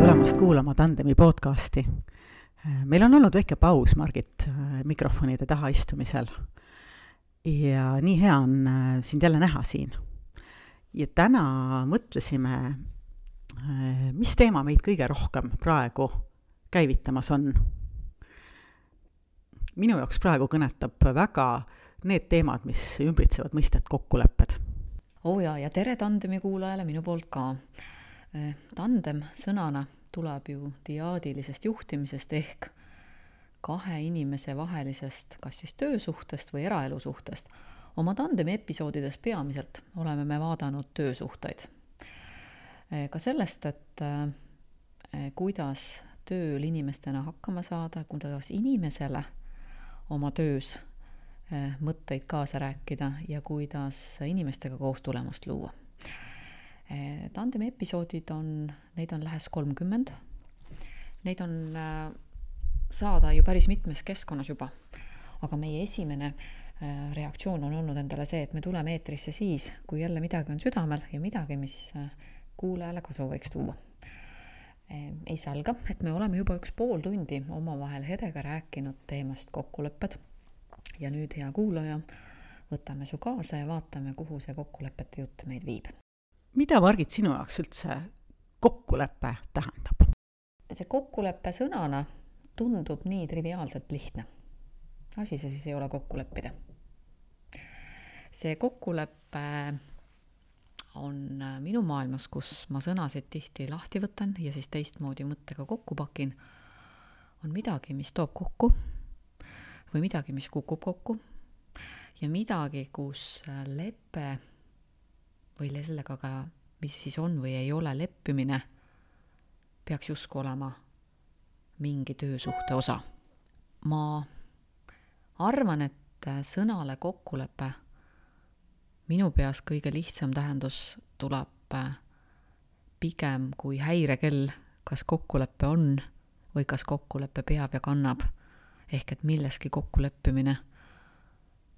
tulemast kuulama Tandemi podcasti. Meil on olnud väike paus, Margit, mikrofonide taha istumisel. Ja nii hea on sind jälle näha siin. Ja täna mõtlesime, mis teema meid kõige rohkem praegu käivitamas on. Minu jaoks praegu kõnetab väga need teemad, mis ümbritsevad mõistet kokkulepped. Ja tere Tandemi kuulajale minu poolt ka. Tandem sõnana tuleb ju diaadilisest juhtimisest ehk kahe inimese vahelisest kas siis töösuhtest või eraelusuhtest. Oma Tandemi episoodides peamiselt oleme me vaadanud töösuhteid. Ka sellest, et kuidas tööl inimestena hakkama saada, kuidas inimesele oma töös mõtteid kaasa rääkida ja kuidas inimestega koos tulemust luua. Tandemi episoodid neid on lähes 30. Neid on saada ju päris mitmes keskkonnas juba. Aga meie esimene reaktsioon on olnud endale see, et me tuleme eetrisse siis, kui jälle midagi on südamel ja midagi, mis kuulajale kasu võiks tuua. Ei salga, et me oleme juba 1,5 tundi omavahel Hedega rääkinud teemast kokkulepped. Ja nüüd, hea kuulaja, võtame su kaasa ja vaatame, kuhu see kokkulepete jutt meid viib. Mida, Margit, sinu jaoks üldse kokkulepe tähendab? See kokkuleppe sõnana tundub nii triviaalselt lihtne. Asi see siis ei ole kokku leppida. See kokkulepe on minu maailmas, kus ma sõnasid tihti lahti võtan ja siis teistmoodi mõttega kokku pakin, on midagi, mis toob kokku või midagi, mis kukub kokku ja midagi, kus lepe või sellega ka, mis siis on või ei ole leppimine, peaks justkui olema mingi töösuhte osa. Ma arvan, et sõnale kokkulepe minu peas kõige lihtsam tähendus tuleb pigem kui häirekell, kas kokkulepe on või kas kokkulepe peab ja kannab. Ehk et milleski kokkuleppimine,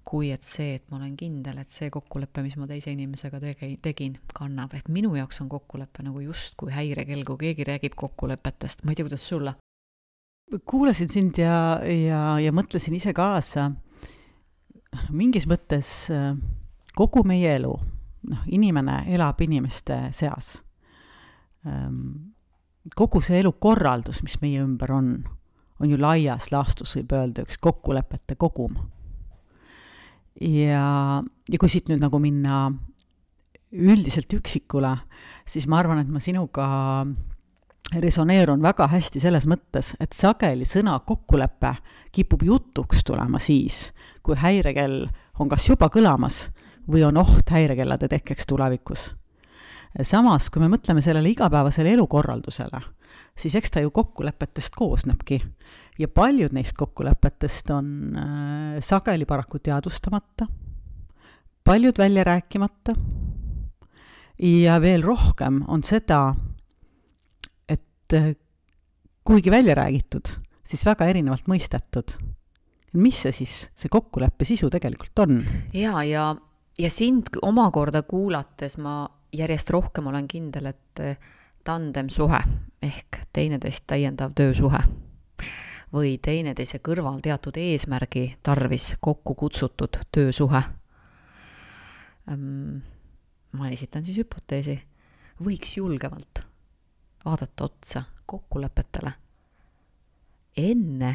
kui et see, et ma olen kindel, et see kokkulepe, mis ma teise inimesega tegin, kannab. Et minu jaoks on kokkulepe nagu just kui häirekell, kui keegi räägib kokkulepetest. Ma ei tea, kuidas sulle? Kuulasin sind ja mõtlesin ise kaasa. Mingis mõttes kogu meie elu, inimene elab inimeste seas. Kogu see elukorraldus, mis meie ümber on ju laias laastus, võib öelda üks kokkulepete kogum. Ja kui siit nüüd nagu minna üldiselt üksikule, siis ma arvan, et ma sinuga resoneerun väga hästi selles mõttes, et sageli sõna kokkulepe kipub jutuks tulema siis, kui häirekell on kas juba kõlamas või on oht häirekellade tekkeks tulevikus. Samas, kui me mõtleme sellele igapäevasele elukorraldusele, siis eks ta ju kokkulepetest koosnebki. Ja paljud neist kokkulepetest on sageli paraku teadvustamata, paljud välja rääkimata ja veel rohkem on seda, et kuigi välja räägitud, siis väga erinevalt mõistetud. Mis see siis, see kokkuleppe sisu tegelikult on? Ja sind omakorda kuulates ma järjest rohkem olen kindel, et tandem suhe ehk teineteist täiendav töösuhe või teineteise kõrval teatud eesmärgi tarvis kokku kutsutud töösuhe. Ma esitan siis hüpoteesi. Võiks julgemalt vaadata otsa kokkulepetele enne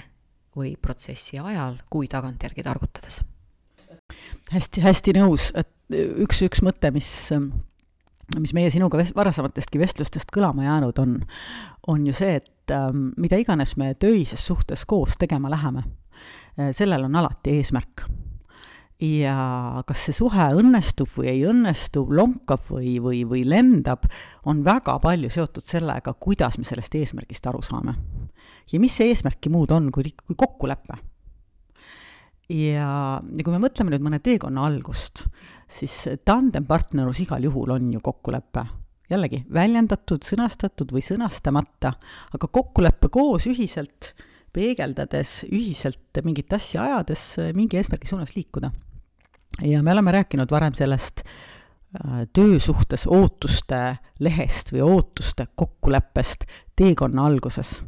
või protsessi ajal, kui tagantjärgi targutades. Hästi nõus, et üks mõte, mis meie sinuga varasematestki vestlustest kõlama jäänud on ju see, et mida iganes me töises suhtes koos tegema läheme, sellel on alati eesmärk. Ja kas see suhe õnnestub või ei õnnestu, lonkab või lendab, on väga palju seotud sellega, kuidas me sellest eesmärgist aru saame. Ja mis see eesmärki muud on kui kokkulepe? Ja kui me mõtleme nüüd mõne teekonna algust, siis tandempartnerus igal juhul on ju kokkulepe. Jällegi, väljendatud, sõnastatud või sõnastamata, aga kokkulepe koos ühiselt peegeldades, ühiselt mingit asja ajades, mingi eesmärgi suunas liikuda. Ja me oleme rääkinud varem sellest töösuhtes ootuste lehest või ootuste kokkuleppest teekonna alguses.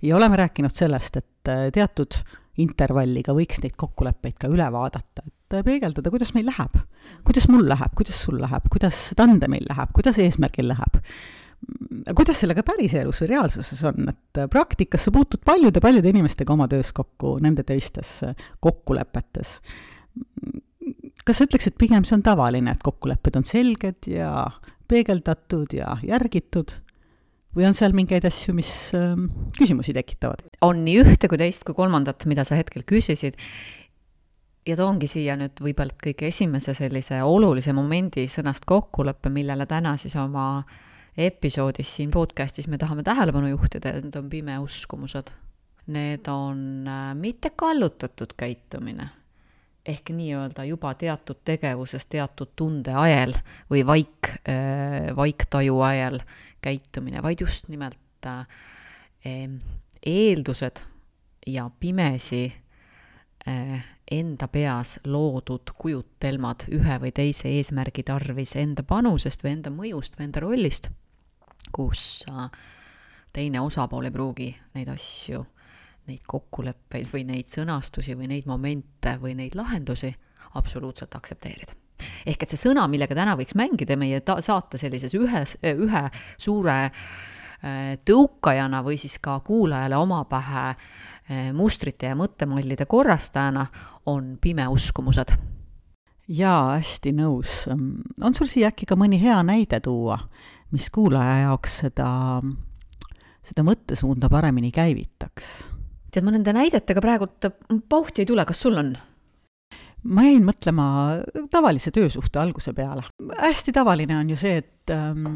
Ja oleme rääkinud sellest, et teatud intervalliga võiks neid kokkuleppeid ka üle vaadata, et peegeldada, kuidas meil läheb, kuidas mul läheb, kuidas sul läheb, kuidas tandemil läheb, kuidas eesmärgil läheb. Kuidas sellega päris elus või reaalsuses on, et praktikas sa puutud paljude inimestega oma töös kokku, nende töistes kokkulepetes. Kas sa ütleks, et pigem see on tavaline, et kokkulepped on selged ja peegeldatud ja järgitud? Või on seal mingeid asju, mis küsimusi tekitavad? On nii ühte kui teist kui kolmandat, mida sa hetkel küsisid. Ja toongi siia nüüd võib-olla kõige esimese sellise olulise momendi sõnast kokkuleppe, millele täna siis oma episoodis siin podcastis me tahame tähelepanu juhtida, et need on pimeuskumused. Need on mitte kallutatud käitumine, ehk nii-öelda juba teatud tegevuses, teatud tunde ajel või vaiktaju ajel käitumine, vaid just nimelt eeldused ja pimesi enda peas loodud kujutelmad ühe või teise eesmärgi tarvis enda panusest või enda mõjust või enda rollist, kus teine osapool ei pruugi neid asju, neid kokkuleppeid või neid sõnastusi või neid momente või neid lahendusi absoluutselt aktsepteerida. Ehk et see sõna, millega täna võiks mängida meie saate sellises ühe suure tõukajana või siis ka kuulajale oma pähe mustrite ja mõttemallide korrastajana, on pimeuskumused. Jaa, hästi nõus. On sul siia äkki ka mõni hea näide tuua, mis kuulaja jaoks seda mõttesuunda paremini käivitaks? Tead, ma nende näidetega praegult pauhti ei tule, kas sul on? Ma jäin mõtlema tavalise töösuhte alguse peale. Hästi tavaline on ju see, et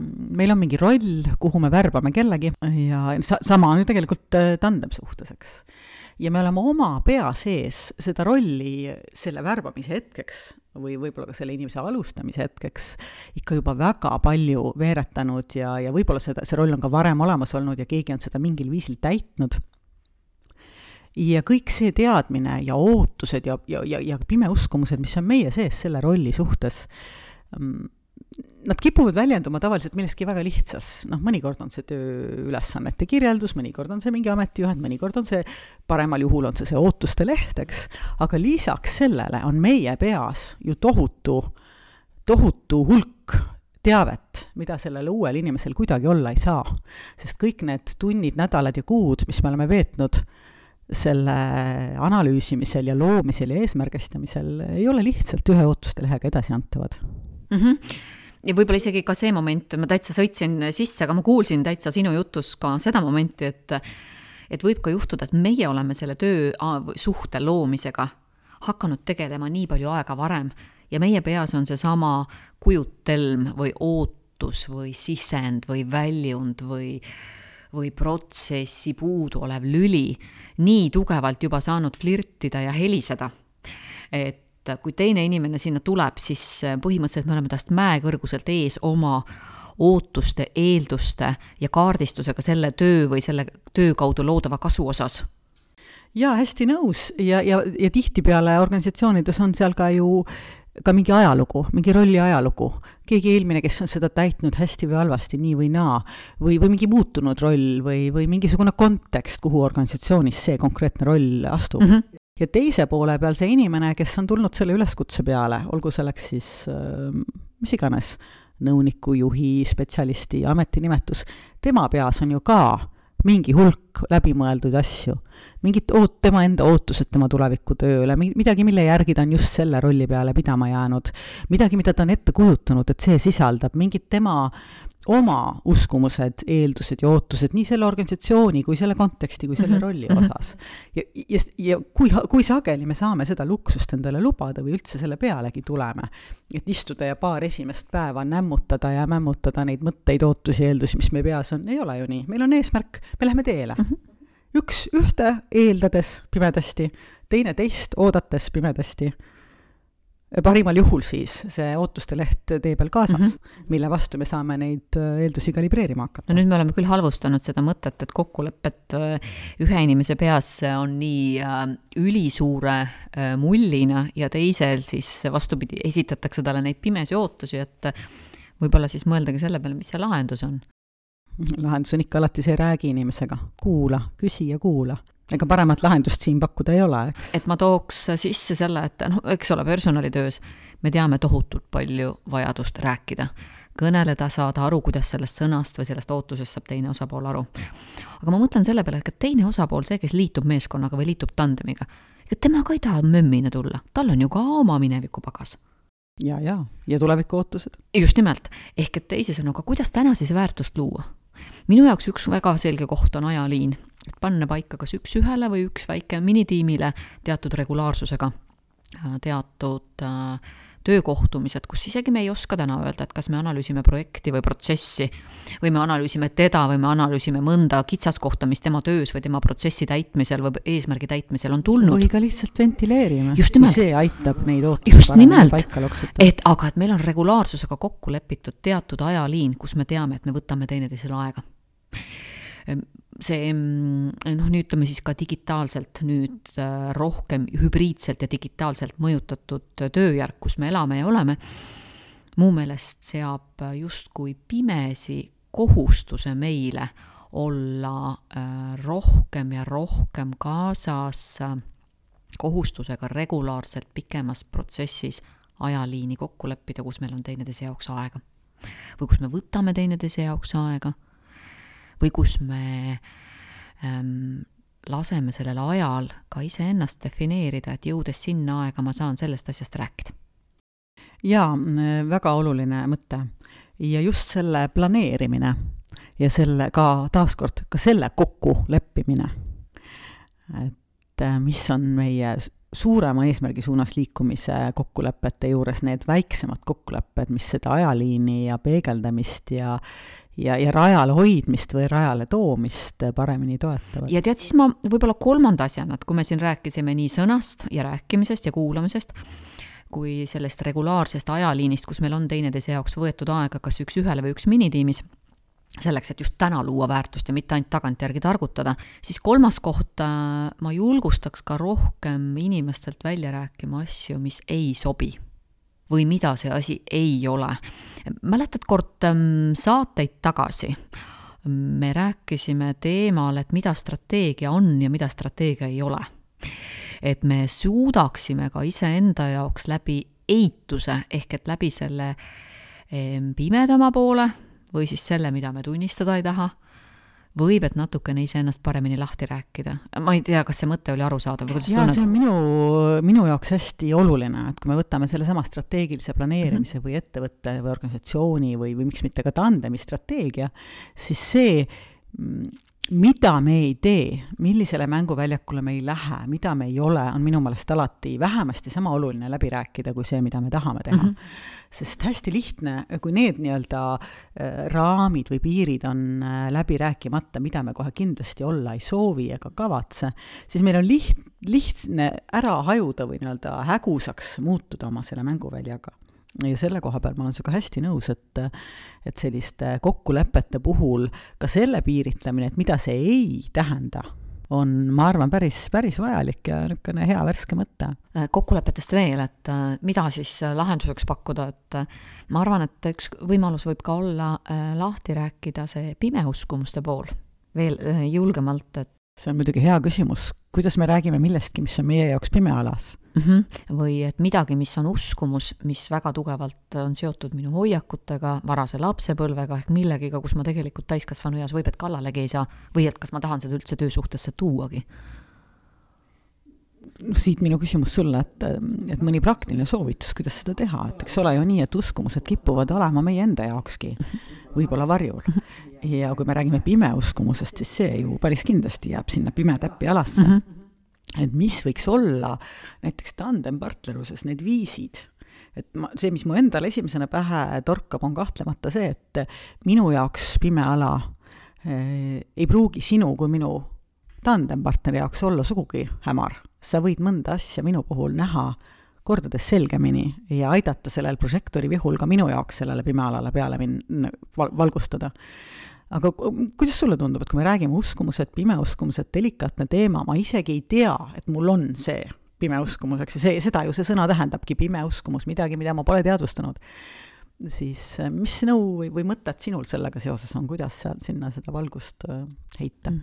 meil on mingi roll, kuhu me värbame kellegi ja sama on ju tegelikult tandemsuhteseks. Ja me oleme oma pea sees seda rolli selle värbamise hetkeks või võib-olla ka selle inimese alustamise hetkeks ikka juba väga palju veeretanud ja võib-olla see roll on ka varem olemas olnud ja keegi on seda mingil viisil täitnud. Ja kõik see teadmine ja ootused ja pimeuskumused, mis on meie sees selle rolli suhtes, nad kipuvad väljenduma tavaliselt milleski väga lihtsas. Mõnikord on see tööülesannete kirjeldus, mõnikord on see mingi ametijuhend, mõnikord on see, paremal juhul on see ootuste lehteks, aga lisaks sellele on meie peas ju tohutu hulk teavet, mida sellel uuel inimesel kuidagi olla ei saa. Sest kõik need tunnid, nädalad ja kuud, mis me oleme veetnud selle analüüsimisel ja loomisel ja eesmärgistamisel, ei ole lihtsalt ühe ootuste lehega edasi antavad. Ja võib-olla isegi ka see moment, ma täitsa sõitsin sisse, aga ma kuulsin täitsa sinu jutus ka seda momenti, et võib ka juhtuda, et meie oleme selle töösuhte loomisega hakanud tegelema nii palju aega varem ja meie peas on see sama kujutelm või ootus või sisend või väljund või protsessi puudu olev lüli nii tugevalt juba saanud flirtida ja heliseda, et kui teine inimene sinna tuleb, siis põhimõtteliselt me oleme tast mäekõrguselt ees oma ootuste, eelduste ja kaardistusega selle töö või selle töö kaudu loodava kasu osas. Jaa, hästi nõus ja tihtipeale organisatsioonides on seal ka ju ka mingi ajalugu, mingi rolli ajalugu. Keegi eelmine, kes on seda täitnud hästi või halvasti, nii või naa, või mingi muutunud roll või mingisugune kontekst, kuhu organisatsioonis see konkreetne roll astub. Ja teise poole peal see inimene, kes on tulnud selle üleskutse peale, olgu selleks siis mis iganes, nõuniku, juhi, spetsialisti, ametinimetus, tema peas on ju ka mingi hulk läbimõeldud asju, mingid tema enda ootused tema tuleviku tööle, midagi, mille järgi ta on just selle rolli peale pidama jäänud, midagi, mida ta on ette kujutanud, et see sisaldab mingid tema oma uskumused, eeldused ja ootused nii selle organisatsiooni kui selle konteksti kui selle rolli osas. Ja kui sageli me saame seda luksust endale lubada või üldse selle pealegi tuleme, et istuda ja paar esimest päeva nämmutada ja mämmutada neid mõtteid, ootusi, eeldusi, mis meie peas on, ei ole ju nii. Meil on eesmärk, me läheme teele. Ühte eeldades pimedasti, teine teist oodates pimedasti. parimal juhul siis see ootuste leht tee peal kaasas, mille vastu me saame neid eeldusi kalibreerima hakata. No nüüd me oleme küll halvustanud seda mõtet, et kokkulepet ühe inimese peas on nii ülisuure mullina ja teisel siis vastupidi esitatakse talle neid pimesi ootusi, et võib-olla siis mõeldagi selle peale, mis see lahendus on. Lahendus on ikka alati see räägi inimesega. Kuula, küsi ja kuula. Ega paremat lahendust siin pakkuda ei ole, eks? Et ma tooks sisse selle, et eks ole, personalitöös me teame tohutult palju vajadust rääkida. Kõneleda, saada aru, kuidas sellest sõnast või sellest ootusest saab teine osapool aru. Aga ma mõtlen selle peale, et teine osapool, see, kes liitub meeskonnaga või liitub tandemiga, et tema ka ei taha mömmina tulla. Tal on ju ka oma mineviku pagas. Ja tuleviku ootused. Just nimelt. Ehk et teisisõnu, aga kuidas täna siis väärtust luua? Minu jaoks üks väga selge koht on ajaliin, et panna paika kas üks ühele või üks väike minitiimile teatud regulaarsusega, teatud töökohtumised, kus isegi me ei oska täna öelda, et kas me analüüsime projekti või protsessi või me analüüsime teda või me analüüsime mõnda kitsaskohta, mis tema töös või tema protsessi täitmisel või eesmärgi täitmisel on tulnud. Või ka lihtsalt ventileerime, kui see aitab neid just nimelt, aga et meil on regulaarsusega kokku lepitud teatud ajaliin, kus me teame, et me võtame teineteisele aega. See, nii ütleme siis ka digitaalselt nüüd rohkem hübriidselt ja digitaalselt mõjutatud tööjärk, kus me elame ja oleme, muu meelest seab justkui pimesi kohustuse meile olla rohkem ja rohkem kaasas kohustusega regulaarselt pikemas protsessis ajaliini kokku leppida, kus meil on teineteise jaoks aega. Või kus me võtame teineteise jaoks aega. Või kus me laseme sellel ajal ka ise ennast defineerida, et jõudes sinna aega ma saan sellest asjast rääkida. Jaa, väga oluline mõte. Ja just selle planeerimine ja selle ka taaskord ka selle kokku leppimine. Et mis on meie suurema eesmärgi suunas liikumise kokkulepete juures need väiksemad kokkulepped, mis seda ajaliini ja peegeldamist ja rajale hoidmist või rajale toomist paremini toetavad. Ja tead, siis ma võib-olla kolmanda asjana, et kui me siin rääkisime nii sõnast ja rääkimisest ja kuulamisest, kui sellest regulaarsest ajaliinist, kus meil on teineteise jaoks võetud aega kas üks ühele või üks minitiimis, selleks, et just täna luua väärtust ja mitte ainult tagantjärgi targutada, siis kolmas koht ma julgustaks ka rohkem inimestelt välja rääkima asju, mis ei sobi või mida see asi ei ole. Mäletad kord saateid tagasi, me rääkisime teemal, et mida strateegia on ja mida strateegia ei ole. Et me suudaksime ka iseenda jaoks läbi eituse, ehk et läbi selle pimedama poole või siis selle, mida me tunnistada ei taha, võib, et natukene iseennast paremini lahti rääkida. Ma ei tea, kas see mõte oli arusaadav. Jaa, see on minu jaoks hästi oluline, et kui me võtame selle sama strateegilise planeerimise või ettevõtte või organisatsiooni või miks mitte ka tandemi strateegia, siis see, mida me ei tee, millisele mänguväljakule me ei lähe, mida me ei ole, on minu meelest alati vähemasti sama oluline läbi rääkida kui see, mida me tahame teha. Sest hästi lihtne, kui need nii-öelda raamid või piirid on läbi rääkimata, mida me kohe kindlasti olla ei soovi ega kavatse, siis meil on lihtne ära hajuda või nii-öelda hägusaks muutuda oma selle mänguväljaga. Ja selle koha peal ma olen sinuga hästi nõus, et selliste kokkulepete puhul ka selle piiritlemine, et mida see ei tähenda, on, ma arvan, päris vajalik ja niisugune hea värske mõte. Kokkulepetest veel, et mida siis lahenduseks pakkuda, et ma arvan, et üks võimalus võib ka olla lahti rääkida see pimeuskumuste pool veel julgemalt, et see on muidugi hea küsimus, kuidas me räägime millestki, mis on meie jaoks pimealas. Või et midagi, mis on uskumus, mis väga tugevalt on seotud minu hoiakutega, varase lapsepõlvega ehk millegiga, kus ma tegelikult täiskasvanu eas võib, et kallalegi ei saa või et kas ma tahan seda üldse töösuhtesse tuuagi. Siit minu küsimus sulle, et mõni praktiline soovitus, kuidas seda teha, et eks ole ju nii, et uskumused kipuvad olema meie enda jaokski, võib-olla varjul. Ja kui me räägime pimeuskumussest, siis see ju päris kindlasti jääb sinna pimetäppi alasse. Et mis võiks olla näiteks tandempartneruses need viisid, et see, mis mu endal esimesena pähe torkab, on kahtlemata see, et minu jaoks pimeala ei pruugi sinu kui minu tandempartneri jaoks olla sugugi hämar. Sa võid mõnda asja minu puhul näha kordades selgemini ja aidata sellel prožektori vihul ka minu jaoks sellele pimealale peale valgustada. Aga kuidas sulle tundub, et kui me räägime uskumused, pimeuskumused, delikaatne teema, ma isegi ei tea, et mul on see pimeuskumuseks ja seda ju see sõna tähendabki, pimeuskumus, midagi, mida ma pole teadvustanud. Siis mis nõu või mõtted sinul sellega seoses on, kuidas sinna seda valgust heita?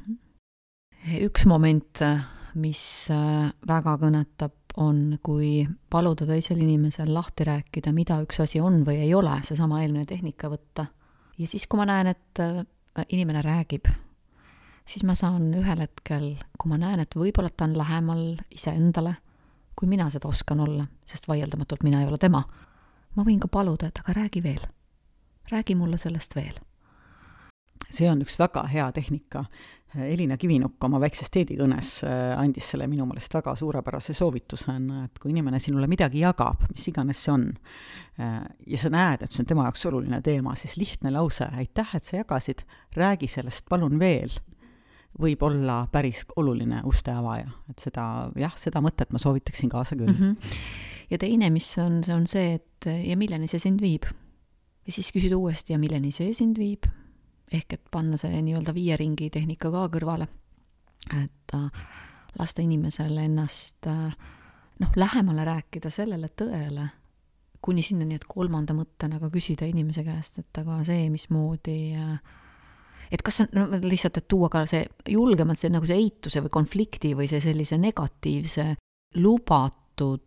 Üks moment, mis väga kõnetab, on, kui paluda teisel inimesel lahti rääkida, mida üks asi on või ei ole, seesama eelmine tehnika võtta. Ja siis, kui ma näen, et inimene räägib, siis ma saan ühel hetkel, kui ma näen, et võib-olla ta on lähemal iseendale, kui mina seda oskan olla, sest vaieldamatult mina ei ole tema, ma võin ka paluda, et aga räägi veel. Räägi mulle sellest veel. See on üks väga hea tehnika. Elina Kivinukk oma väikses teedikõnes andis selle minu meelest väga suurepärase soovitusena, et kui inimene sinule midagi jagab, mis iganes see on, ja sa näed, et see on tema jaoks oluline teema, siis lihtne lause, aitäh, et sa jagasid, räägi sellest, palun veel, võib olla päris oluline uste avaja. Et seda mõtet ma soovitaksin kaasa küll. Ja teine, mis on see, et ja milleni see sind viib. Ja siis küsida uuesti, ja milleni see sind viib. Ehk et panna see nii-öelda 5 ringi tehnika ka kõrvale. Et lasta inimesele ennast lähemale rääkida sellele tõele, kuni sinna nii, et 3. mõttena ka küsida inimese käest, et aga see, mismoodi, et kas lihtsalt, et tuua ka see julgemalt see, nagu see eituse või konflikti või see sellise negatiivse lubatud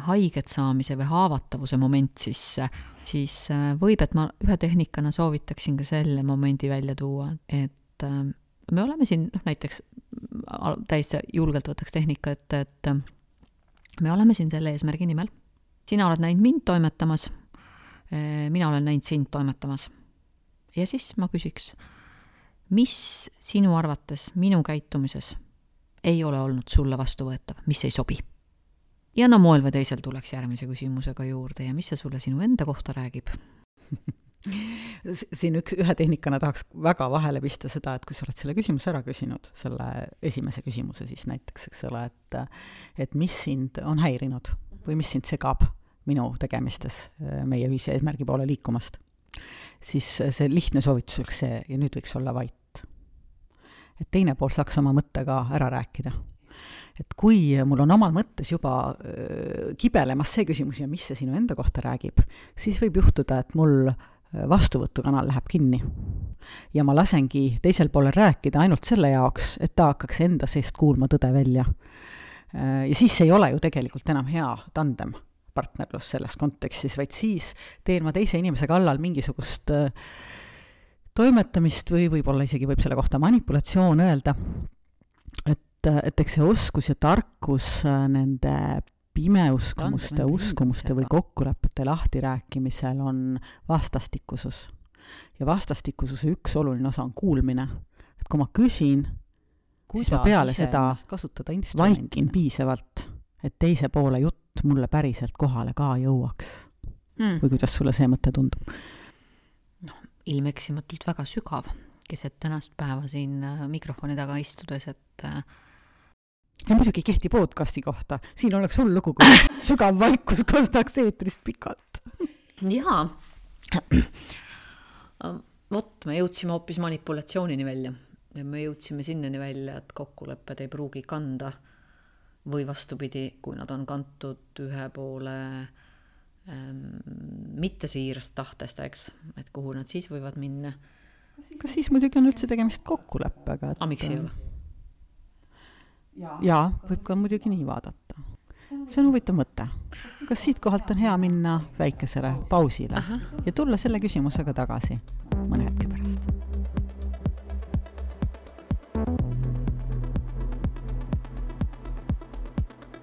haiget saamise või haavatavuse moment siis võib, et ma ühe tehnikana soovitaksin ka selle momendi välja tuua, et me oleme siin, näiteks täis julgelt võtaks tehnika, et me oleme siin selle eesmärgi nimel. Sina oled näinud mind toimetamas, mina olen näinud sind toimetamas. Ja siis ma küsiks, mis sinu arvates minu käitumises ei ole olnud sulle vastuvõetav, mis ei sobi? Ja moel või teisel tuleks järgmise küsimusega juurde ja mis see sulle sinu enda kohta räägib? Siin ühe tehnikana tahaks väga vahele pista seda, et kui sa oled selle küsimuse ära küsinud, selle esimese küsimuse siis näiteks, eks ole, et mis sind on häirinud või mis sind segab minu tegemistes meie ühise eesmärgi poole liikumast, siis see lihtne soovitus oleks see ja nüüd võiks olla vait. Et teine pool saaks oma mõttega ära rääkida. Et kui mul on omal mõttes juba kibelemas see küsimus ja mis see sinu enda kohta räägib, siis võib juhtuda, et mul vastuvõtukanal läheb kinni. Ja ma lasengi teisel poolel rääkida ainult selle jaoks, et ta hakkaks enda seest kuulma tõde välja. Ja siis ei ole ju tegelikult enam hea tandem partnerlus selles kontekstis, vaid siis teen ma teise inimese kallal mingisugust toimetamist või võib-olla isegi võib selle kohta manipulatsioon öelda, et eks see oskus ja tarkus nende pimeuskumuste, uskumuste või kokkulepete lahtirääkimisel on vastastikusus. Ja vastastikususe üks oluline osa on kuulmine. Et kui ma küsin, siis ma peale seda vaikin piisavalt, et teise poole jutt mulle päriselt kohale ka jõuaks. Või kuidas sulle see mõte tundub? Ilmeksimatult väga sügav, keset tänast päeva siin mikrofoni taga istudes, et see muidugi kehti podcasti kohta. Siin oleks sul lugu, kui sügav vaikus kostaks eetrist pikalt. Jaa. Vot, me jõudsime hoopis manipulatsioonini välja. Ja me jõudsime sinnani välja, et kokkulepped ei pruugi kanda või vastupidi, kui nad on kantud ühe poole mitte siirast tahtest, eks, et kuhu nad siis võivad minna. Kas siis muidugi on üldse tegemist kokkuleppega? Miks ei ole? Jaa, võib ka muidugi nii vaadata. See on huvitav mõte. Kas siit kohalt on hea minna väikesele pausile ja tulla selle küsimusega tagasi mõne hetke pärast?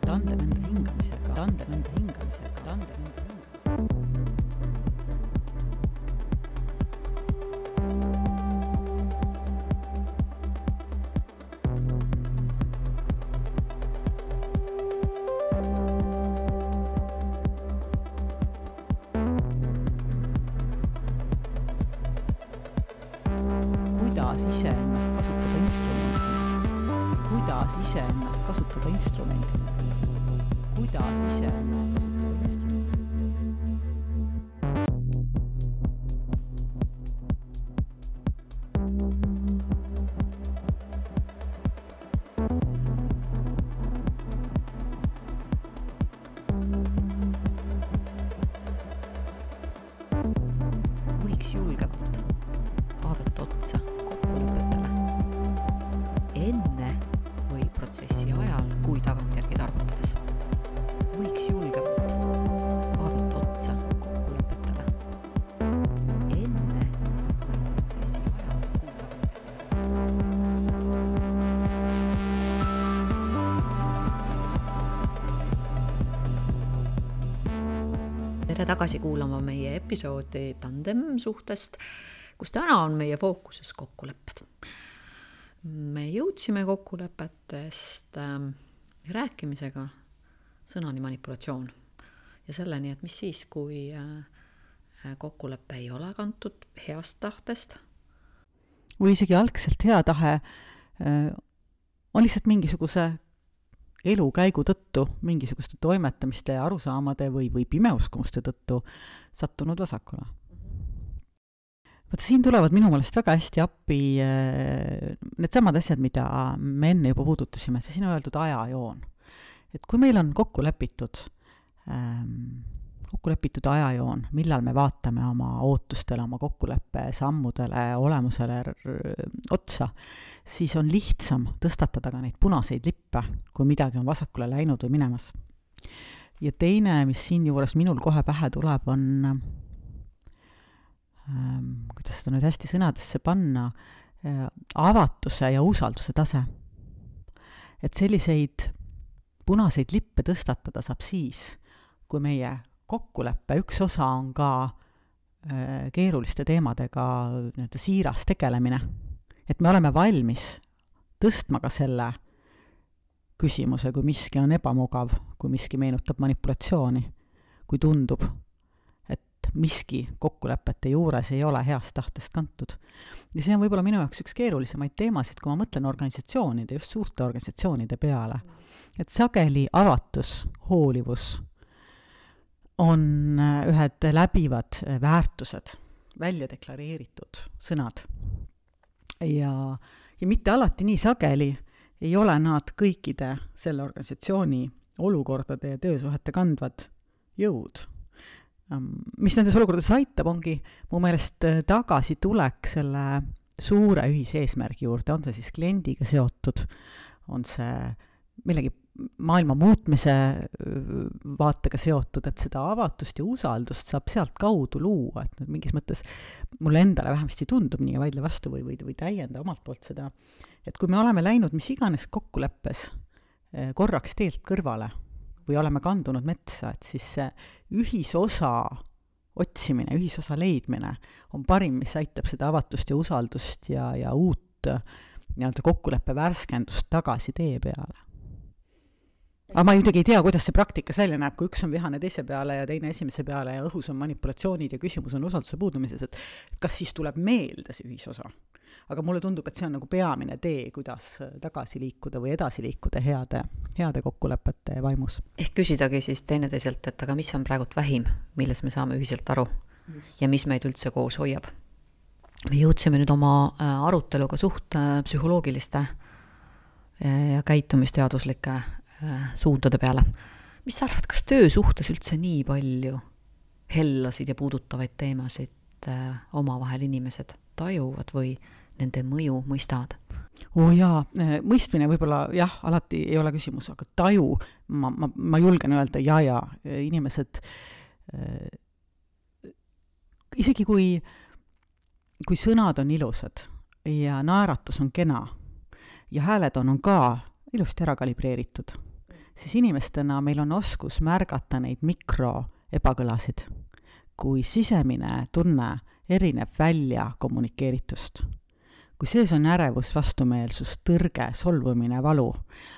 Tandem enda hingamisega, tandem enda hingamisega, tandem enda hingamisega. Kuidas iseennast kasutada instrumendina? Kuidas iseennast kasutada otsa kokkulepetele. Enne või protsessi ajal, kui tagantjärgi targutades, võiks julgemalt vaadata otsa kokkulepetele. Enne või protsessi ajal, kui tagantjärgi. Tere tagasi kuulama meie episoodi Tandem suhtest, kus täna on meie fookuses kokkulepped. Me jõudsime kokkulepetest rääkimisega sõnani manipulatsioon ja selleni, et mis siis, kui kokkulepe ei ole kantud heast tahtest. Või isegi algselt hea tahe on lihtsalt mingisuguse elukäigu tõttu, mingisuguste toimetamiste ja arusaamade või pimeuskumuste tõttu sattunud vasakule. Vaata, siin tulevad minu meelest väga hästi appi need samad asjad, mida me enne juba puudutasime, see siin on öeldud ajajoon. Et kui meil on kokku lepitud ajajoon, millal me vaatame oma ootustele, oma kokkuleppe sammudele, olemusele otsa, siis on lihtsam tõstatada ka neid punaseid lippe, kui midagi on vasakule läinud või minemas. Ja teine, mis siin juures minul kohe pähe tuleb, on kuidas seda nüüd hästi sõnadesse panna, avatuse ja usalduse tase. Et selliseid punaseid lippe tõstatada saab siis, kui meie kokkuleppe üks osa on ka keeruliste teemadega siiras tegelemine. Et me oleme valmis tõstma ka selle küsimuse, kui miski on ebamugav, kui miski meenutab manipulatsiooni, kui tundub, miski kokkulepete juures ei ole heast tahtest kantud. Ja see on võib-olla minu jaoks üks keerulisemaid teemasid, kui ma mõtlen organisatsioonide, just suurte organisatsioonide peale. Et sageli avatus, hoolivus on ühed läbivad väärtused, välja deklareeritud sõnad. Ja mitte alati nii sageli ei ole nad kõikide selle organisatsiooni olukordade ja töösuhete kandvad jõud. Mis nendes olukordades aitab, ongi mu meelest tagasi tulek selle suure ühiseesmärgi juurde, on see siis kliendiga seotud, on see millegi maailma muutmise vaatega seotud, et seda avatust ja usaldust saab sealt kaudu luua, et mingis mõttes mulle endale vähemasti tundub nii ja vaidle vastu või täienda omalt poolt seda, et kui me oleme läinud mis iganes kokkuleppes korraks teelt kõrvale, või oleme kandunud metsa, et siis see ühisosa otsimine, ühisosa leidmine on parim, mis aitab seda avatust ja usaldust ja uut kokkuleppe värskendust tagasi tee peale. Aga ma muidugi ei tea, kuidas see praktikas välja näeb, kui üks on vihane teise peale ja teine esimese peale ja õhus on manipulatsioonid ja küsimus on usalduse puudumises, et kas siis tuleb meelde see ühisosa. Aga mulle tundub, et see on nagu peamine tee, kuidas tagasi liikuda või edasi liikuda heade kokkulepete vaimus. Ehk küsidagi siis teineteiselt, et aga mis on praegult vähim, milles me saame ühiselt aru ja mis meid üldse koos hoiab. Me jõudsime nüüd oma aruteluga suht psühholoogiliste ja käitumisteaduslike suundade peale. Mis sa arvad, kas töösuhtes üldse nii palju hellasid ja puudutavaid teemasid omavahel inimesed tajuvad või nende mõju mõistavad? Jaa, mõistmine võib-olla jah, alati ei ole küsimus, aga taju, ma julgen öelda ja inimesed isegi kui sõnad on ilusad ja naeratus on kena ja hääled on ka ilusti ära kalibreeritud, siis inimestena meil on oskus märgata neid mikroebakõlasid, kui sisemine tunne erineb välja kommunikeeritust. Kui sees on ärevus, vastumeelsus, tõrge, solvumine, valu,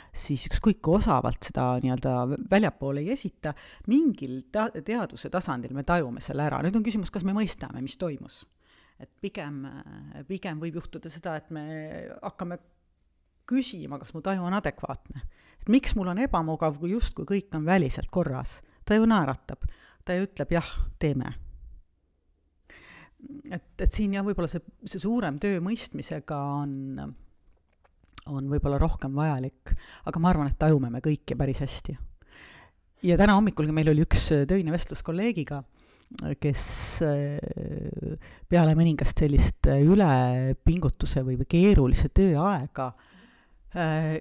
siis ükskõik kui osavalt seda väljapoole ei esita, mingil teadvuse tasandil me tajume selle ära. Nüüd on küsimus, kas me mõistame, mis toimus. Et pigem võib juhtuda seda, et me hakkame küsima, kas mu taju on adekvaatne. Et miks mul on ebamugav, kui justkui kõik on väliselt korras. Ta ju naeratab, ta ju ütleb jah, teeme. Et siin jah, võib-olla see suurem töö mõistmisega on võib-olla rohkem vajalik, aga ma arvan, et tajume me kõike päris hästi. Ja täna hommikulgi meil oli üks töine vestlus kolleegiga kes peale mõningast sellist ülepingutuse või keerulise tööaega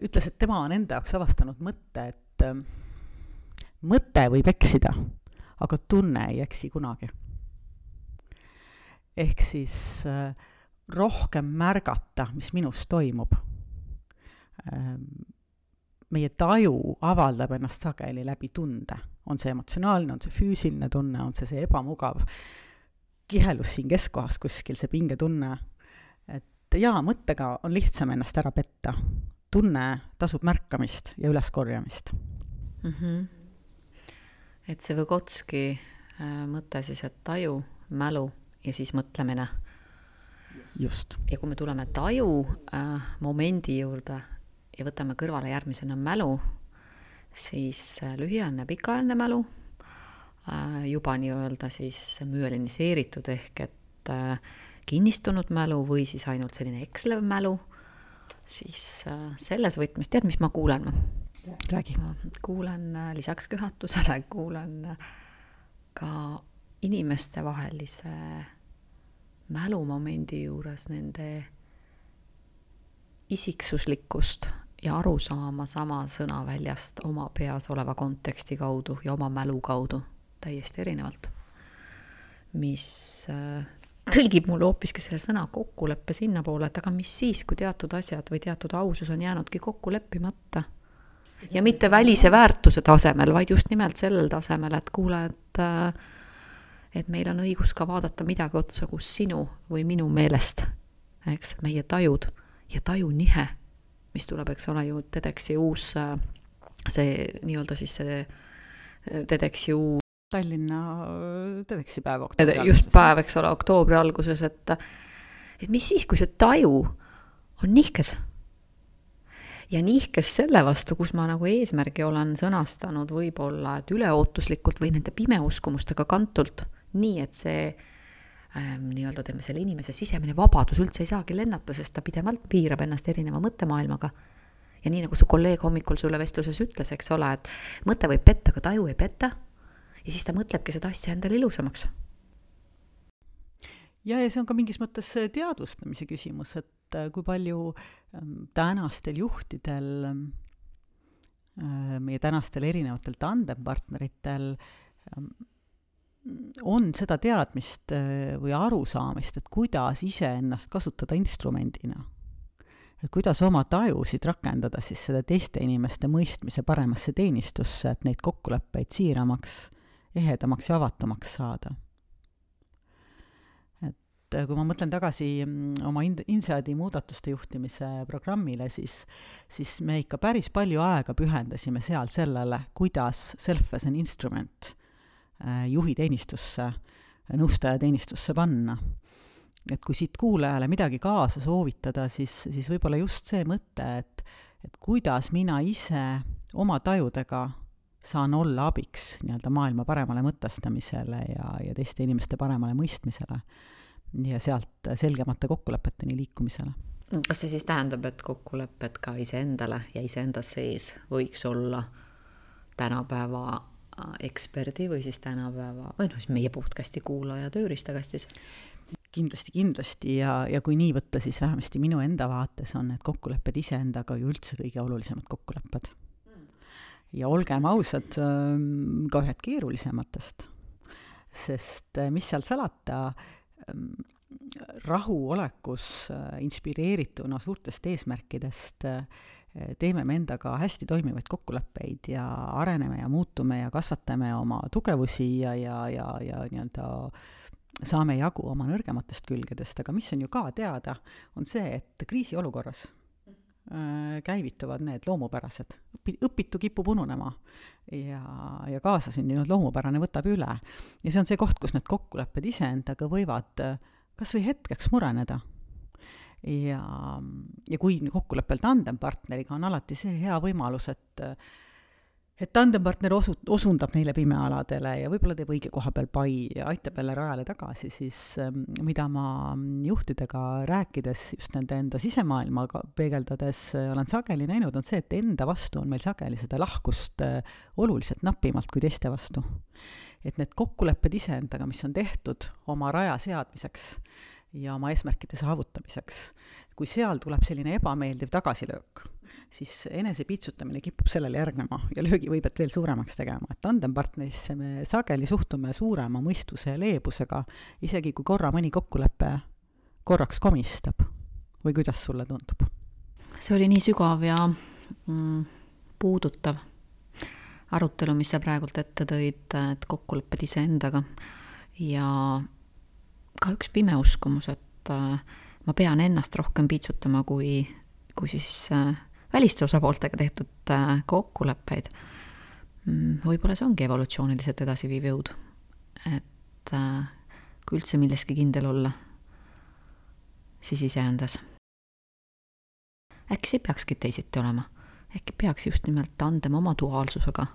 ütles, et tema on enda jaoks avastanud mõtte, et mõte võib eksida, aga tunne ei eksi kunagi. Ehk siis rohkem märgata, mis minus toimub. Meie taju avaldab ennast sageli läbi tunde. On see emotsionaalne, on see füüsiline tunne, on see ebamugav kihelus siin keskkohas kuskil, see pingetunne. Et jaa, mõttega on lihtsam ennast ära petta. Tunne tasub märkamist ja üleskorjamist. Et see Vygotski mõte siis, et taju, mälu ja siis mõtlemine. Just. Ja kui me tuleme taju momendi juurde ja võtame kõrvale järgmisena mälu, siis lühiajaline, pikaajaline mälu, juba nii-öelda siis müeliniseeritud ehk et kinnistunud mälu või siis ainult selline ekslev mälu, siis selles võtmes, tead, mis ma kuulen? Räägi. Ma kuulen lisaks köhatusele, kuulen ka inimeste vahelise mälumomendi juures nende isiksuslikkust ja aru saama sama sõnaväljast oma peas oleva konteksti kaudu ja oma mälu kaudu täiesti erinevalt. Mis tõlgib mulle hoopiski selle sõna kokkuleppe sinna poole, et aga mis siis, kui teatud asjad või teatud ausus on jäänudki kokku leppimata. Ja mitte välise väärtuse tasemel, vaid just nimelt sellel tasemel, et kuule, et meil on õigus ka vaadata midagi otsa, kus sinu või minu meelest, eks, meie tajud ja tajunihe, mis tuleb, eks ole ju TEDxi uus, see nii-öelda siis see TEDxi uus Tallinna TEDxi päev just päev, eks ole, oktoobri alguses, et mis siis, kui see taju on nihkes? Ja nihkes selle vastu, kus ma nagu eesmärgi olen sõnastanud võib-olla, et üleootuslikult või nende pimeuskumustega kantult, nii et see nii-öelda teeme selle inimese sisemine vabadus üldse ei saagi lennata, sest ta pidevalt piirab ennast erineva mõttemaailmaga. Ja nii nagu su kolleeg hommikul sulle vestluses ütles, eks ole, et mõte võib petta, aga taju ei petta. Ja siis ta mõtlebki seda asja endale ilusamaks. Ja see on ka mingis mõttes teadvustamise küsimus, et kui palju tänastel juhtidel, meie tänastel erinevatel tandempartneritel on seda teadmist või arusaamist, et kuidas ise ennast kasutada instrumendina. Et kuidas oma tajusid rakendada siis seda teiste inimeste mõistmise paremasse teenistusse, et neid kokkuleppeid siiramaks, ehedamaks ja avatumaks saada. Kui ma mõtlen tagasi oma Inseadi muudatuste juhtimise programmile, siis me ikka päris palju aega pühendasime seal sellele, kuidas self as an instrument juhi teenistusse, nõustaja teenistusse panna. Et kui siit kuulajale midagi kaasa soovitada, siis võib-olla just see mõte, et kuidas mina ise oma tajudega saan olla abiks nii-öelda maailma paremale mõtestamisele ja teiste inimeste paremale mõistmisele. Ja sealt selgemate kokkulepeteni liikumisele. Kas see siis tähendab, et kokkulepped ka iseendale ja iseenda sees võiks olla tänapäeva eksperdi või siis tänapäeva, või siis meie podcasti kuulaja tööriistakastis? Kindlasti ja kui nii võtta, siis vähemasti minu enda vaates on need kokkulepped iseendaga ju üldse kõige olulisemad kokkulepped. Ja olgem ausad, ka ühed keerulisematest, sest mis seal salata, rahuolekus inspireerituna suurtest eesmärkidest teeme me endaga hästi toimivaid kokkuleppeid ja areneme ja muutume ja kasvatame oma tugevusi ja nii-öelda saame jagu oma nõrgematest külgedest, aga mis on ju ka teada, on see, et kriisiolukorras käivituvad need loomupärased. Õpitu kipub ununema ja kaasasündinud loomupärane võtab üle. Ja see on see koht, kus need kokkulepped iseendaga võivad kas või hetkeks mureneda. Ja kui kokkuleppel tandempartneriga on alati see hea võimalus, et et tandempartner osundab neile pimealadele ja võib-olla teeb õige koha peal pai ja aitab jälle rajale tagasi, siis mida ma juhtidega rääkides, just nende enda sisemaailmaga peegeldades olen sageli näinud, on see, et enda vastu on meil sageli seda lahkust oluliselt napimalt kui teiste vastu. Et need kokkulepped iseendaga, mis on tehtud oma raja seadmiseks ja oma eesmärkide saavutamiseks, kui seal tuleb selline ebameeldiv tagasilöök, siis enese piitsutamine kipub sellele järgnema ja löögi võibet veel suuremaks tegema. Et tandempartnerisse me sageli suhtume suurema mõistuse ja leebusega, isegi kui korra mõni kokkulepe korraks komistab. Või kuidas sulle tundub? See oli nii sügav ja puudutav arutelu, mis sa praegult ette tõid, et kokkulepped iseendaga ja ka üks pime uskumus, et ma pean ennast rohkem piitsutama kui siis väliste osapooltega tehtud kokkuleppeid. Võib-olla see ongi evolutsiooniliselt edasiviiv jõud. Et kui üldse milleski kindel olla, siis iseendas. Äkki see peakski teisiti olema. Äkki peaks just nimelt tandem oma duaalsusega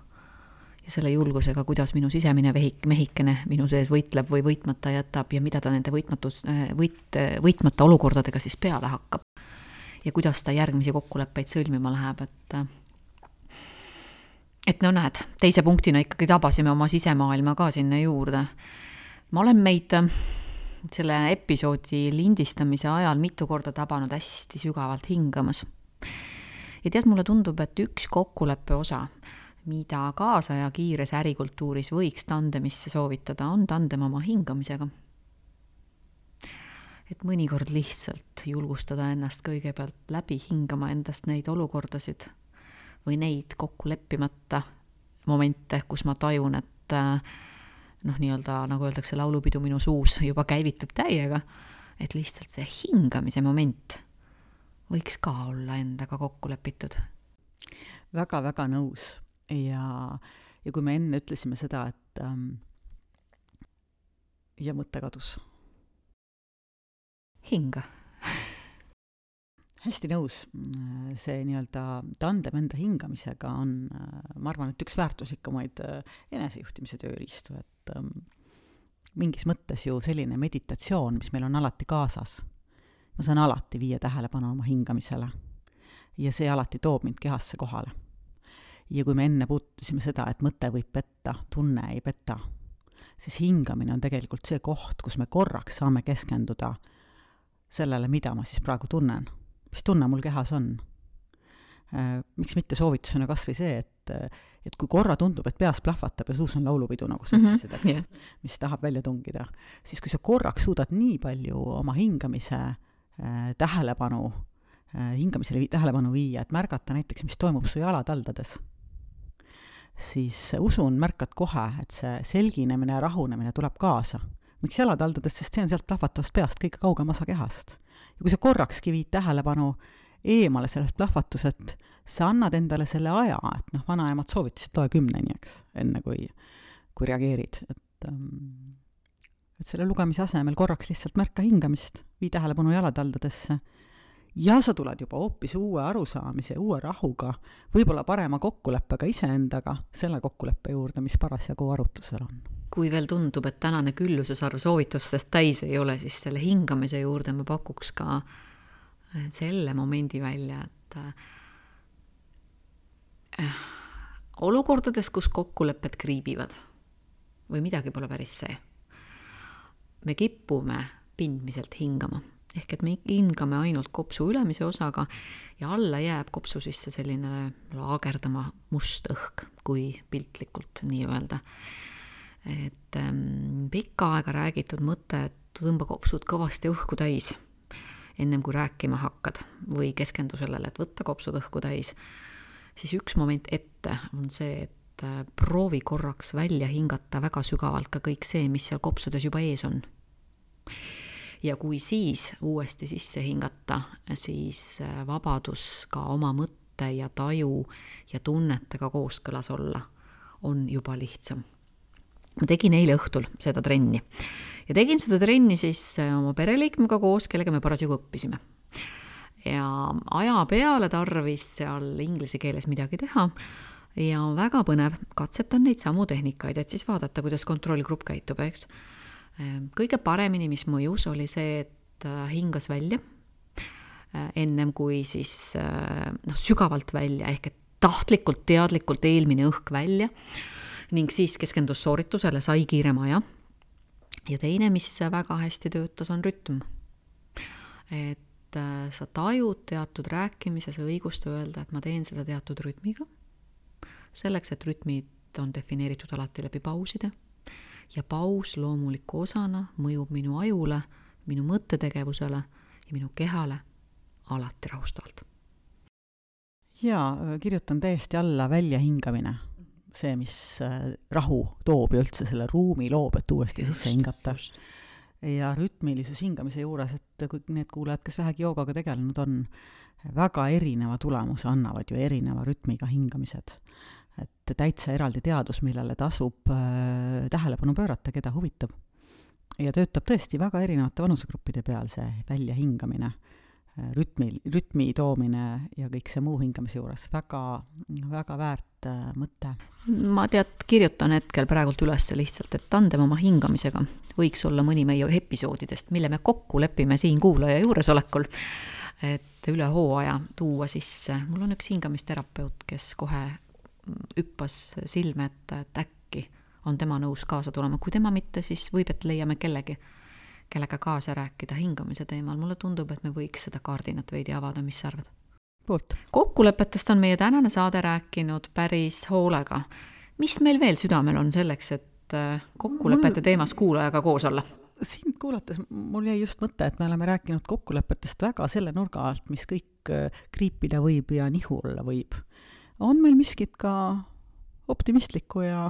ja selle julgusega, kuidas minu sisemine mehikene minu sees võitleb või võitmata jätab ja mida ta nende võitmata olukordadega siis peale hakkab. Ja kuidas ta järgmisi kokkuleppeid sõlmima läheb, et no näed, teise punktina ikkagi tabasime oma sisemaailma ka sinna juurde. Ma olen meid selle episoodi lindistamise ajal mitu korda tabanud hästi sügavalt hingamas. Ja tead, mulle tundub, et üks kokkuleppe osa, mida kaasaja kiires ärikultuuris võiks tandemisse soovitada, on tandem oma hingamisega. Et mõnikord lihtsalt julgustada ennast kõigepealt läbi hingama endast neid olukordasid või neid kokku leppimata momente, kus ma tajun, et nii-öelda, nagu öeldakse, laulupidu minu suus juba käivitub täiega, et lihtsalt see hingamise moment võiks ka olla endaga kokku lepitud. Väga-väga nõus ja kui me enne ütlesime seda, et ja mõte kadus. Hinga. Hästi nõus. See nii-öelda tandem enda hingamisega on, ma arvan, et üks väärtuslikumaid enesejuhtimise tööriistu, et mingis mõttes ju selline meditatsioon, mis meil on alati kaasas. Ma saan alati viia tähelepanu oma hingamisele ja see alati toob mind kehasse kohale. Ja kui me enne puutusime seda, et mõte võib petta, tunne ei peta, siis hingamine on tegelikult see koht, kus me korraks saame keskenduda sellele, mida ma siis praegu tunnen. Mis tunne mul kehas on? Miks mitte soovitusena kas või see, et kui korra tundub, et peas plahvatab ja suus on laulupidu, nagu sa ütlesid, mis tahab välja tungida, siis kui sa korraks suudad nii palju oma hingamisele tähelepanu viia, et märgata näiteks, mis toimub su jalataldades, siis usun, märkad kohe, et see selginemine ja rahunemine tuleb kaasa. Miks jalataldades, sest see on sealt plahvatavast peast kõige kaugem osa kehast. Ja kui sa korrakski viid tähelepanu eemale sellest plahvatused, sa annad endale selle aja, et vanaemad soovitasid loe 10, eks, enne kui reageerid. Et selle lugemise asemel korraks lihtsalt märka hingamist, vii tähelepanu jalataldadesse ja sa tuled juba hoopis uue arusaamise, uue rahuga, võib-olla parema kokkuleppega iseendaga, selle kokkuleppe juurde, mis parasjagu arutlusel on. Kui veel tundub, et tänane küllusesarv soovitustest täis ei ole, siis selle hingamise juurde ma pakuks ka selle momendi välja, et olukordades, kus kokkulepped kriibivad või midagi pole päris see, me kipume pindmiselt hingama. Ehk et me hingame ainult kopsu ülemise osaga ja alla jääb kopsu sisse selline laagerdama must õhk, kui piltlikult nii öelda. Et pikka aega räägitud mõte, et tõmba kopsud kõvasti õhku täis, ennem kui rääkima hakkad või keskendu sellele, et võtta kopsud õhku täis, siis üks moment ette on see, et proovi korraks välja hingata väga sügavalt ka kõik see, mis seal kopsudes juba ees on. Ja kui siis uuesti sisse hingata, siis vabadus ka oma mõtte ja taju ja tunnetega kooskõlas olla on juba lihtsam. Ma tegin eile õhtul seda trenni ja tegin seda trenni siis oma pereliikmega koos, kellega me parasjagu õppisime. Ja aja peale tarvis seal inglise keeles midagi teha ja on väga põnev, katsetan neid samu tehnikaid, et siis vaadata, kuidas kontrollgrupp käitub, eks. Kõige paremini, mis mõjus, oli see, et hingas välja ennem kui siis sügavalt välja, ehk et tahtlikult, teadlikult eelmine õhk välja ning siis keskendus sooritusele, sai kiirema aja. Ja teine, mis väga hästi töötas, on rütm. Et sa tajud teatud rääkimises õigust öelda, et ma teen seda teatud rütmiga. Selleks, et rütmid on defineeritud alati läbi pauside ja paus loomuliku osana mõjub minu ajule, minu mõttetegevusele ja minu kehale alati rahustavalt. Jaa, kirjutan täiesti alla väljahingamine. See, mis rahu toob ja üldse selle ruumi loob, et uuesti sisse hingata. Ja rütmilisus hingamise juures, et kui need kuulajad, kes vähegi joogaga tegelenud on, väga erineva tulemuse annavad ju erineva rütmiga hingamised. Et täitsa eraldi teadus, millele tasub tähelepanu pöörata, keda huvitab. Ja töötab tõesti väga erinevate vanusegruppide peal see väljahingamine, rütmi toomine ja kõik see muu hingamise juures. Väga, väga väärt mõte. Ma kirjutan hetkel praegult üles lihtsalt, et tandem oma hingamisega võiks olla mõni meie episoodidest, mille me kokku lepime siin kuulaja juuresolekul, et üle hooaja tuua sisse. Mul on üks hingamisterapeut, kes kohe hüppas silme, et äkki on tema nõus kaasa tulema. Kui tema mitte, siis võib, et leiame kellega kaasa rääkida hingamise teemal. Mulle tundub, et me võiks seda kaardinat veidi avada, mis sa arvad? Kokkulepetest on meie tänane saade rääkinud päris hoolega. Mis meil veel südamel on selleks, et kokkulepete teemas kuulajaga koos olla? Siin kuulates mul jäi just mõte, et me oleme rääkinud kokkulepetest väga selle nurga alt, mis kõik kriipida võib ja nihu olla võib. On meil miskit ka optimistlikku ja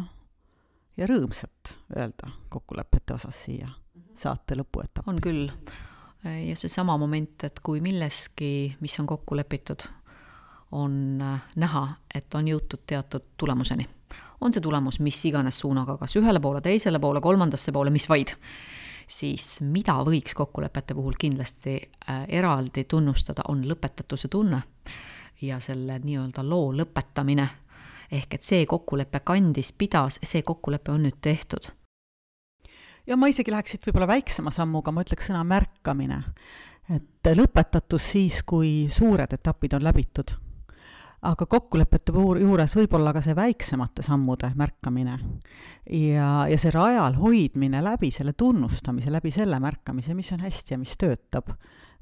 rõõmsat öelda kokkulepete osas siia saate lõpuetapp? On küll. Ja see sama moment, et kui milleski, mis on kokku lepitud, on näha, et on jõutud teatud tulemuseni. On see tulemus mis iganes suunaga, kas ühele poole, teisele poole, kolmandasse poole, mis vaid. Siis mida võiks kokkulepete puhul kindlasti eraldi tunnustada, on lõpetatuse tunne ja selle nii-öelda loo lõpetamine. Ehk et see kokkulepe kandis, pidas, see kokkulepe on nüüd tehtud. Ja ma isegi läheksid võib-olla väiksema sammuga, ma ütleks sõna märkamine. Et lõpetatus siis, kui suured etapid on läbitud. Aga kokkulepete juures võib-olla ka see väiksemate sammude märkamine. Ja see rajal hoidmine läbi selle tunnustamise, läbi selle märkamise, mis on hästi ja mis töötab.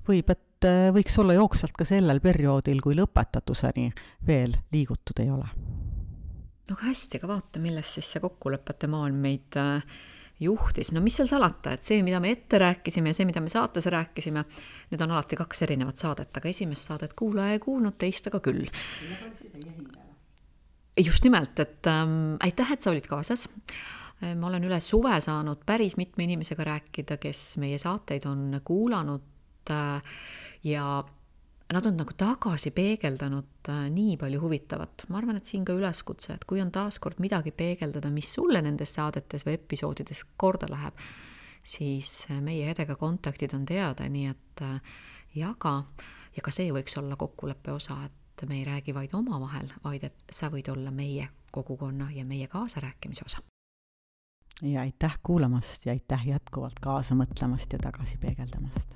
Et võiks olla jooksvalt ka sellel perioodil, kui lõpetatuseni veel liigutud ei ole. No hästi, aga vaata, milles siis see kokkulepete maailm meid juhtis. No mis seal salata, et see, mida me ette rääkisime ja see, mida me saates rääkisime, need on alati 2 erinevat saadet, aga esimest saadet kuulaja ei kuulnud, teist aga küll. Just nimelt, et aitäh, et sa olid kaasas. Ma olen üle suve saanud päris mitme inimesega rääkida, kes meie saateid on kuulanud ja nad on nagu tagasi peegeldanud nii palju huvitavat. Ma arvan, et siin ka üleskutse, et kui on taaskord midagi peegeldada, mis sulle nendes saadetes või episoodides korda läheb, siis meie Edega kontaktid on teada, nii et jaga. Ja ka see võiks olla kokkuleppe osa, et me ei räägi vaid oma vahel, vaid et sa võid olla meie kogukonna ja meie kaasarääkimise osa. Ja aitäh kuulamast ja aitäh jätkuvalt kaasa mõtlemast ja tagasi peegeldamast.